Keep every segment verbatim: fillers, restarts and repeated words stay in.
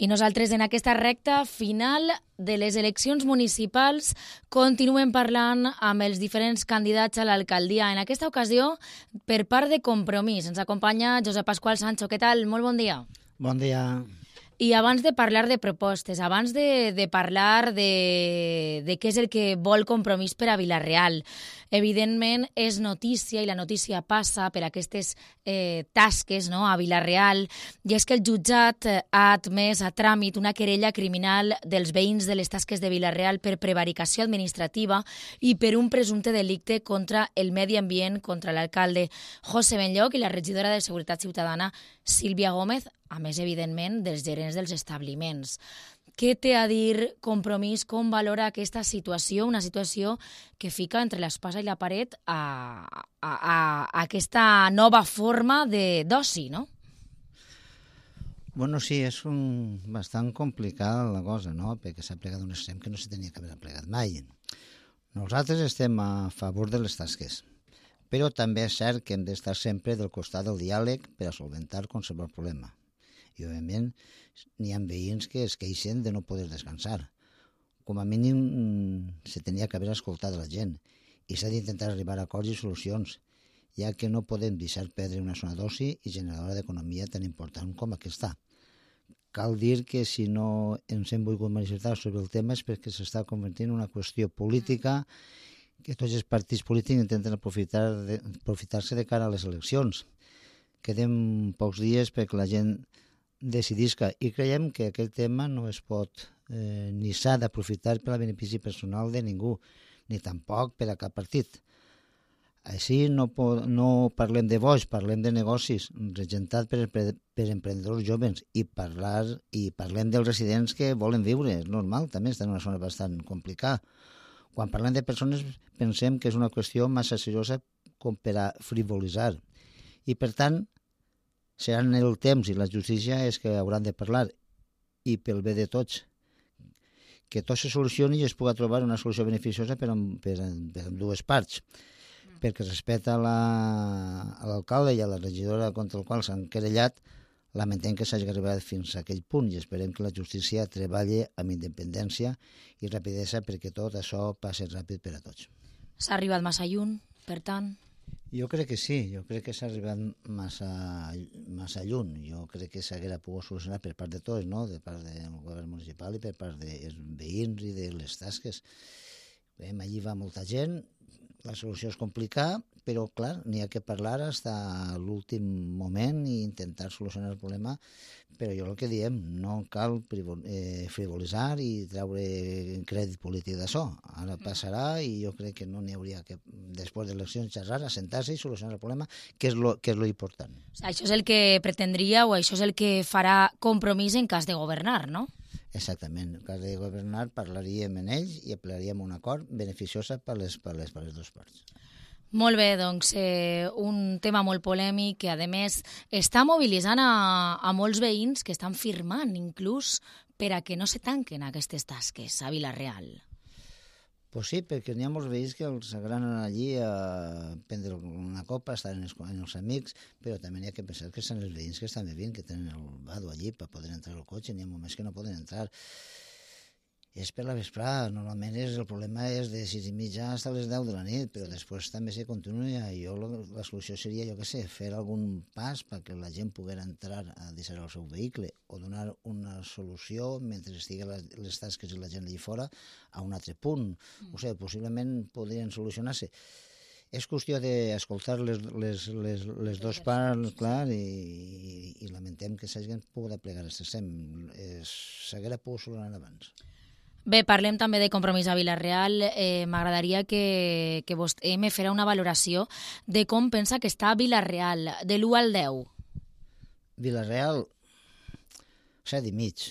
I nosaltres en aquesta recta final de les eleccions municipals continuem parlant amb els diferents candidats a l'alcaldia. En aquesta ocasió, per part de Compromís, ens acompanya Josep Pasqual Sancho. Què tal? Molt bon dia. Bon dia. I abans de parlar de propostes, abans de, de parlar de, de què és el que vol Compromís per a Vila-real, evidentment és notícia, i la notícia passa per aquestes eh, tasques, no?, a Vila-real, i és que el jutjat ha admès a tràmit una querella criminal dels veïns de les tasques de Vila-real per prevaricació administrativa i per un presumpte delicte contra el medi ambient, contra l'alcalde José Benlloch i la regidora de Seguretat Ciutadana Sílvia Gómez, a més, evidentment, dels gerents dels establiments. Què té a dir Compromís? Com valora aquesta situació? Una situació que fica entre l'espasa i la paret a, a, a, a aquesta nova forma d'oci, no? Bueno, sí, és un, bastant complicada la cosa, no?, perquè s'ha plegat un extrem que no se tenia que haver plegat mai. Nosaltres estem a favor de les tasques, però també és cert que hem d'estar sempre del costat del diàleg per a solventar qualsevol problema. I, òbviament, n'hi ha veïns que es queixen de no poder descansar. Com a mínim, se tenia que haver escoltat la gent i s'ha d'intentar arribar a acords i solucions, ja que no podem deixar perdre una zona d'oci i generadora d'economia tan important com aquesta. Cal dir que si no ens hem volgut manifestar sobre el tema és perquè s'està convertint en una qüestió política que tots els partits polítics intenten aprofitar de, aprofitar-se de cara a les eleccions. Queden pocs dies perquè la gent decidisca i creiem que aquest tema no es pot eh, ni s'ha d'aprofitar per al benefici personal de ningú, ni tampoc per a cap partit. Així no, po- no parlem de boix, parlem de negocis, regentat per, per, per emprenedors joves i, parlar, i parlem dels residents que volen viure, és normal, també està en una zona bastant complicada. Quan parlem de persones pensem que és una qüestió massa seriosa com per a frivolitzar i per tant seran el temps i la justícia és que hauran de parlar i pel bé de tots, que tot se solucioni i es pugui trobar una solució beneficiosa per, per, per dues parts, perquè respecte a l'alcalde i a la regidora contra el qual s'han querellat, lamentem que s'hagi arribat fins a aquell punt i esperem que la justícia treballi amb independència i rapidesa perquè tot això passi ràpid per a tots. S'ha arribat massa lluny, per tant? Jo crec que sí, jo crec que s'ha arribat massa, massa lluny. Jo crec que s'haguera pogut solucionar per part de tots, no?, de part del govern municipal i per part dels veïns i de les tasques. Bé, allí va molta gent, la solució és complicada, però, clar, n'hi ha que parlar fins a l'últim moment i intentar solucionar el problema, però jo el que diem, no cal frivolitzar i treure crèdit polític d'això. Ara passarà i jo crec que no n'hi hauria que, després de eleccions, xerrar, assentar-se i solucionar el problema, que és lo, que és lo important. Això és el que pretendria o això és el que farà Compromís en cas de governar, no? Exactament. En cas de governar parlaríem en ells i aplicaríem un acord beneficiosa per les, per les, per les dues parts. Molt bé, doncs eh, un tema molt polèmic que, a més, està mobilitzant a, a molts veïns que estan firmant, inclús, per a que no se tanquen aquestes tasques a Vila-real. Pues sí, perquè n'hi ha molts veïns que els agraden allí a prendre una copa, estar amb els, amb els amics, però també n'hi ha que pensar que són els veïns que estan vivint, que tenen el vado allí per poder entrar al cotxe, n'hi ha moments que no poden entrar. És per la vesprada, normalment és, el problema és de sis i mitja fins a les deu de la nit, però després també se continua i jo la solució seria, jo què sé, fer algun pas perquè la gent poguera entrar a deixar el seu vehicle o donar una solució mentre estigui les tasques i la gent allà fora a un altre punt. O sigui, possiblement podrien solucionar-se. És qüestió d'escoltar les, les, les, les dues parts, clar, i, i lamentem que s'hagin pogut aplegar aquest extrem. S'haguera pogut solucionar abans. Bé, parlem també de Compromís a Vila-real. Eh, M'agradaria que, que vostè me fera una valoració de com pensa que està Vila-real, de l'u al deu. Vila-real, set i mig.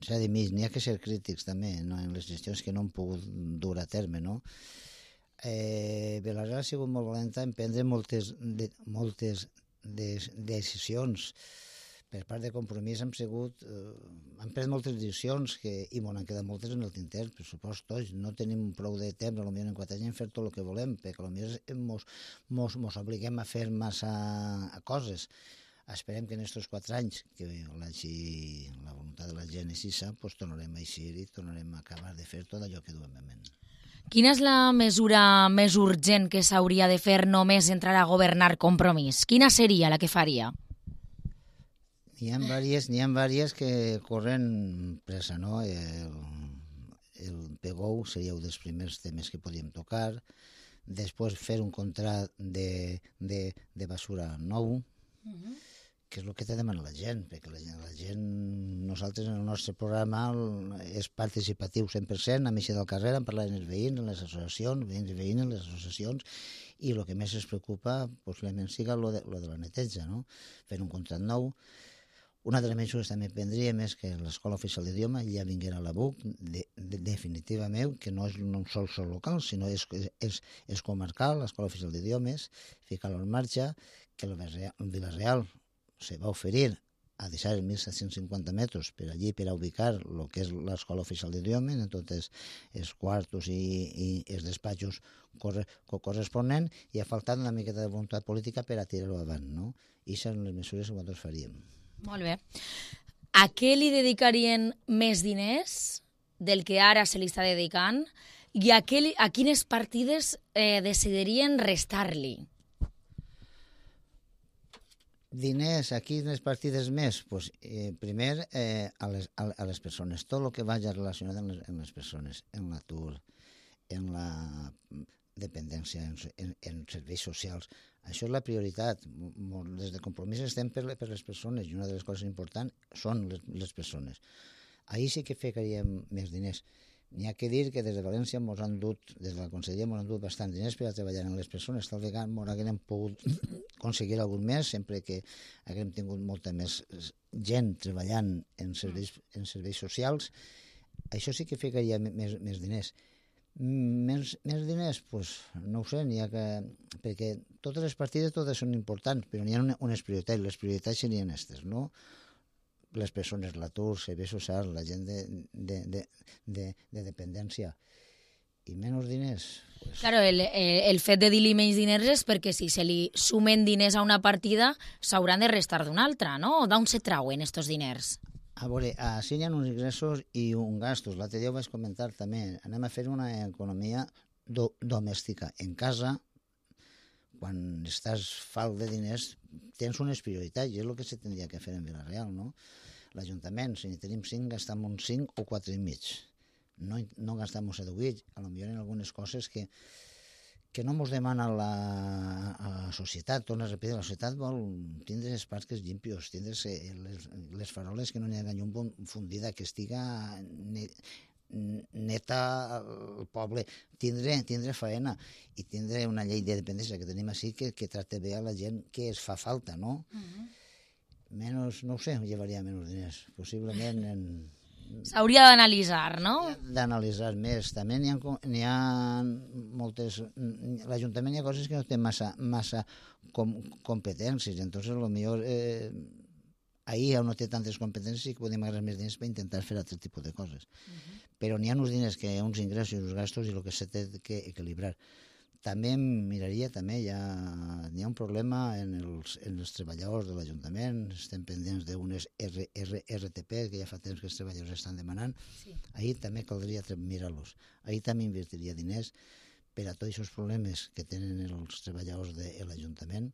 Set i mig. N'hi ha que ser crítics també, no?, en les gestions que no han pogut dur a terme, no? Eh, Vila-real ha sigut molt valenta en prendre moltes, de, moltes de, decisions. Per part de Compromís hem sigut, eh, hem pres moltes decisions que, i m'ho han quedat moltes en el tinter, per supost tots. No tenim prou de temps, potser en quatre anys, fer tot el que volem, perquè potser mos, mos, mos obliguem a fer massa coses. Esperem que en aquests quatre anys, que la voluntat de la gent és així, doncs tornarem a eixir i tornarem a acabar de fer tot allò que duem en ment. Quina és la mesura més urgent que s'hauria de fer només entrar a governar Compromís? Quina seria la que faria? N'hi ha diverses, n'hi ha diverses que corren pressa, no? El, el P G O U seria un dels primers temes que podíem tocar, després fer un contrat de, de, de basura nou, uh-huh. que és el que te demana la gent, perquè la gent, la gent, nosaltres en el nostre programa és participatiu cent per cent, a Missa del Carrer, en parlar amb els veïns, en les associacions, veïns i veïnes, en les associacions, i el que més es preocupa possiblement siga lo de, lo de la neteja, no? Fer un contrat nou. Una de les mesures també prendríem és que l'Escola Oficial d'Idioma ja vinguera a la B U C de, de, definitivament, que no és un sol sol local, sinó és, és, és comarcal, l'Escola Oficial d'Idiomes, ficar-lo en marxa, que el Vila-real se va oferir a deixar els mil set-cents cinquanta metres per allí per a ubicar el que és l'Escola Oficial d'Idiomes, en tots els, els quartos i, i els despatxos corre, corresponents, i ha faltat una miqueta de voluntat política per a tirar-ho avant, no? I són les mesures que nosaltres faríem. Molt bé. A què li dedicarien més diners del que ara se li està dedicant i a, què, a quines partides eh, decidirien restar-li? Diners, a quines partides més? Pues, eh, primer, eh, a, les, a, a les persones. Tot el que vagi relacionat amb les, amb les persones, en l'atur, en la dependència, en, en, en serveis socials. Això és la prioritat. Des de Compromís estem per, per les persones i una de les coses importants són les, les persones. Ahir sí que ficaríem més diners. N'hi ha que dir que des de València mos han dut, des de la Conselleria mos han dut bastant diners per a treballar amb les persones. Tal vegada mos haguem pogut aconseguir algun més, sempre que haguem tingut molta més gent treballant en serveis, en serveis socials. Això sí que ficaria més, més diners. Més, més diners? Pues, no ho sé, n'hi ha que... perquè totes les partides totes són importants, però n'hi ha unes prioritats. Les prioritats serien aquestes, no? Les persones, l'atur, serveis socials, la gent de, de, de, de, de dependència. I menys diners? Pues... Claro, el, el fet de dir-li menys diners és perquè si se li sumen diners a una partida s'hauran de restar d'una altra, no? D'on se trauen estos diners? A veure, així hi ha uns ingressos i uns gastos. L'altre dia ho vaig comentar també. Anem a fer una economia do, domèstica. En casa, quan estàs falt de diners, tens unes prioritats, i és el que se tindria que fer en Vila-real, no? L'Ajuntament, si n'hi tenim cinc, gastam uns cinc o quatre i mig. No, no gastam uns set o vuit, a lo millor en algunes coses que, que no mos demana la, la societat. Torna a repetir, la societat vol tindre els parcs llimpios, tindre les, les faroles que no n'hi ha llum fundida, que estiga neta el poble, tindre, tindre faena i tindre una llei de dependència que tenim així que, que tracte bé a la gent que es fa falta, no? Uh-huh. Menys, no ho sé, llevaria menys diners. Possiblement en... S'hauria d'analitzar, no? D'analitzar més. També n'hi ha, n'hi ha moltes... L'Ajuntament hi ha coses que no té massa, massa com, competències, entonces potser eh, ahir on no té tantes competències i que podem agarrar més diners per intentar fer altre tipus de coses. Uh-huh. Però n'hi ha uns diners, que uns ingressos i uns gastos i el que s'ha de que equilibrar. També miraria, també hi ha, hi ha un problema en els, en els treballadors de l'Ajuntament, estem pendents d'unes R, R, R T P, que ja fa temps que els treballadors estan demanant. Sí. Ahir també caldria mirar-los. Ahir també invertiria diners per a tots aquests problemes que tenen els treballadors de l'Ajuntament,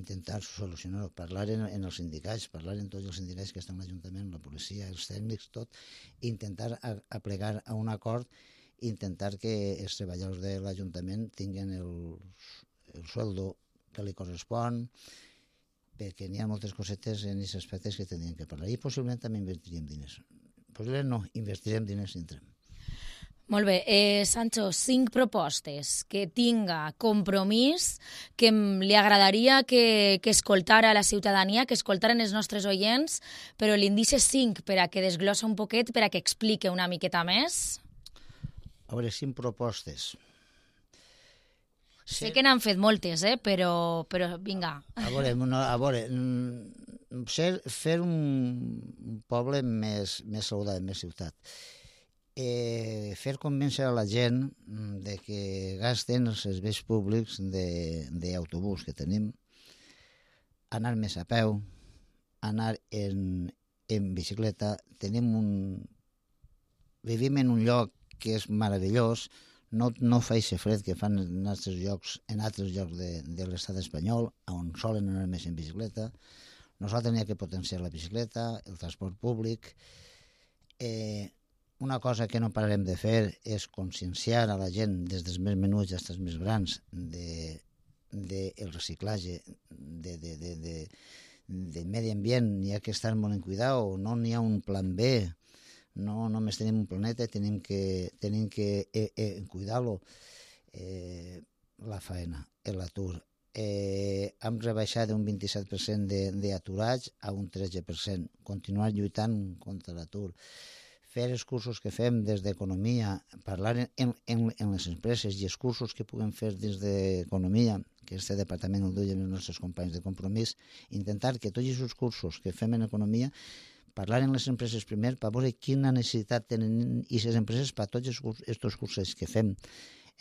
intentar solucionar-ho, parlar en, en els sindicats, parlar en tots els sindicats que estan a l'Ajuntament, la policia, els tècnics, tot, intentar a, a plegar a un acord, intentar que els treballadors de l'Ajuntament tinguin el, el sueldo que li correspon, perquè n'hi ha moltes cosetes en aquests aspectes que tindríem que parlar. I possiblement també invertiríem diners. Possiblement no, invertirem diners si entrem. Molt bé. Eh, Sancho, cinc propostes que tinga Compromís, que li agradaria que, que escoltara la ciutadania, que escoltaren els nostres oients, però l'indici cinc per a que desglossa un poquet, per a que explique una miqueta més. A veure, cinc propostes. Sé que n'han fet moltes, eh? però, però vinga. A veure, no, a veure ser, fer un poble més, més saludable, més ciutat. Eh, fer convèncer a la gent de que gasten els serveis públics d'autobús que tenim, anar més a peu, anar en, en bicicleta, tenim un... vivim en un lloc que és meravellós, no, no fa aquest fred que fan en altres llocs, en altres llocs de, de l'estat espanyol, on solen anar més en bicicleta. Nosaltres n'hi ha que potenciar la bicicleta, el transport públic. Eh, una cosa que no pararem de fer és conscienciar a la gent, des dels més menuts fins als més grans, de, de el reciclatge, de, de, de, de, de medi ambient. N'hi ha que estar molt en cuidado, no n'hi ha un plan B. No només tenim un planeta, tenim que, tenim que eh, eh, cuidar-lo. Eh, la faena, l'atur. Eh, hem rebaixat d'un vint-i-set per cent d'aturats a un tretze per cent. Continuar lluitant contra l'atur. Fer els cursos que fem des d'economia, parlar en, en, en les empreses i els cursos que puguem fer des d'economia, que este departament el duien els nostres companys de Compromís, intentar que tots aquests cursos que fem en economia parlar en les empreses primer per veure quina necessitat tenen aquestes empreses per tots aquests cursos que fem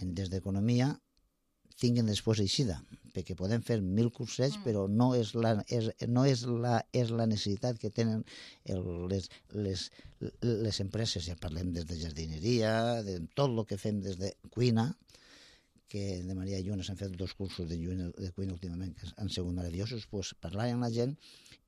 des d'economia tinguin després eixida, perquè podem fer mil cursets, mm. però no és la, és, no és la, és la necessitat que tenen el, les, les, les empreses. Ja parlem des de jardineria, de tot el que fem des de cuina, que de Maria Lluna s'han fet dos cursos de, lluina, de cuina últimament que han sigut meravellosos, pues, parlar amb la gent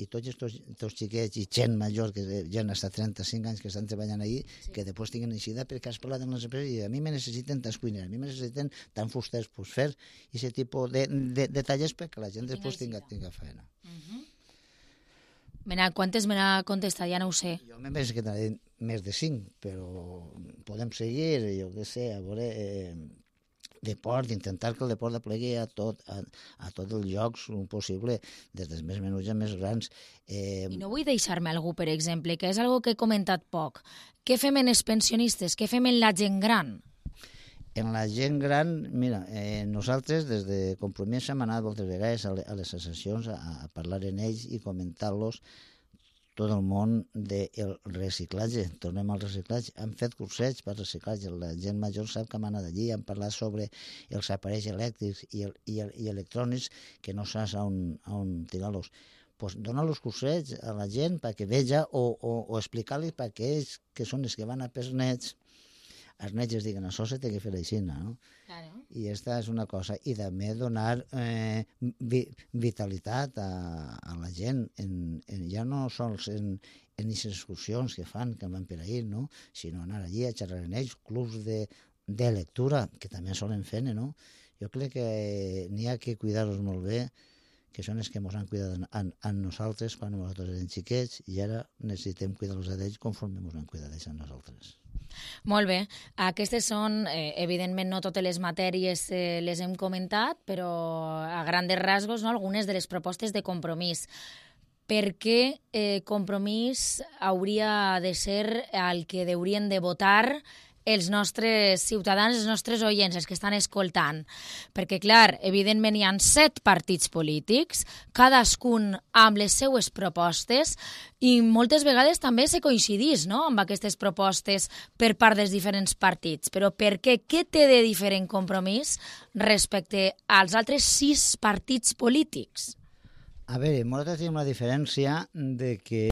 i tots aquests xiquets i gent major, que ja han estat trenta-cinc anys que estan treballant allí, sí. que després tinguin eixida perquè has parlat amb les empreses i a mi me necessiten tants cuiners, a mi me necessiten tant fusters, pues fer aquest tipus de, de, de tallers perquè la gent després tinga, tinga feina. Uh-huh. Mena, quantes me n'ha contestat? Ja no ho sé. Jo me penso que t'ha més de cinc, però podem seguir, jo què sé, a veure... Eh, deport, intentar que el deport aplegui a tot, a, a tots els llocs possible, des dels més menuts a més grans. Eh... I no vull deixar-me algú, per exemple, que és algo que he comentat poc. Què fem en els pensionistes? Què fem en la gent gran? En la gent gran, mira, eh, nosaltres des de Compromís hem anat moltes vegades a les associacions a, a parlar en ells i comentar-los tot el món del reciclatge. Tornem al reciclatge. Hem fet cursets per reciclatge. La gent major sap que hem anat allí. Hem parlat sobre els aparells elèctrics i, el, i, el, i electrònics que no saps on, on tirar-los. Pues donar els cursets a la gent perquè veja o, o, o explicar-los perquè ells, que són els que van a pels nets, els nets es diguen, això se té que fer aixina, no? Claro. I aquesta és una cosa. I també donar eh, vi, vitalitat a, a la gent, en, en, ja no sols en aquestes excursions que fan, que van per ahir, no? Sinó anar allí a xerrar amb ells, clubs de, de lectura, que també solen fer, no? Jo crec que n'hi ha que cuidar-los molt bé, que són els que ens han cuidat a, a nosaltres quan nosaltres érem xiquets, i ara necessitem cuidar-los a ells conforme ens han cuidat a nosaltres. Molt bé. Aquestes són, eh, evidentment, no totes les matèries eh, les hem comentat, però a grandes rasgos, no, algunes de les propostes de Compromís. Per què eh, Compromís hauria de ser el que haurien de votar els nostres ciutadans, els nostres oients, els que estan escoltant? Perquè, clar, evidentment hi ha set partits polítics, cadascun amb les seues propostes, i moltes vegades també se coincidís, no?, amb aquestes propostes per part dels diferents partits. Però per què? Què té de diferent Compromís respecte als altres sis partits polítics? A veure, nosaltres tenim la diferència de que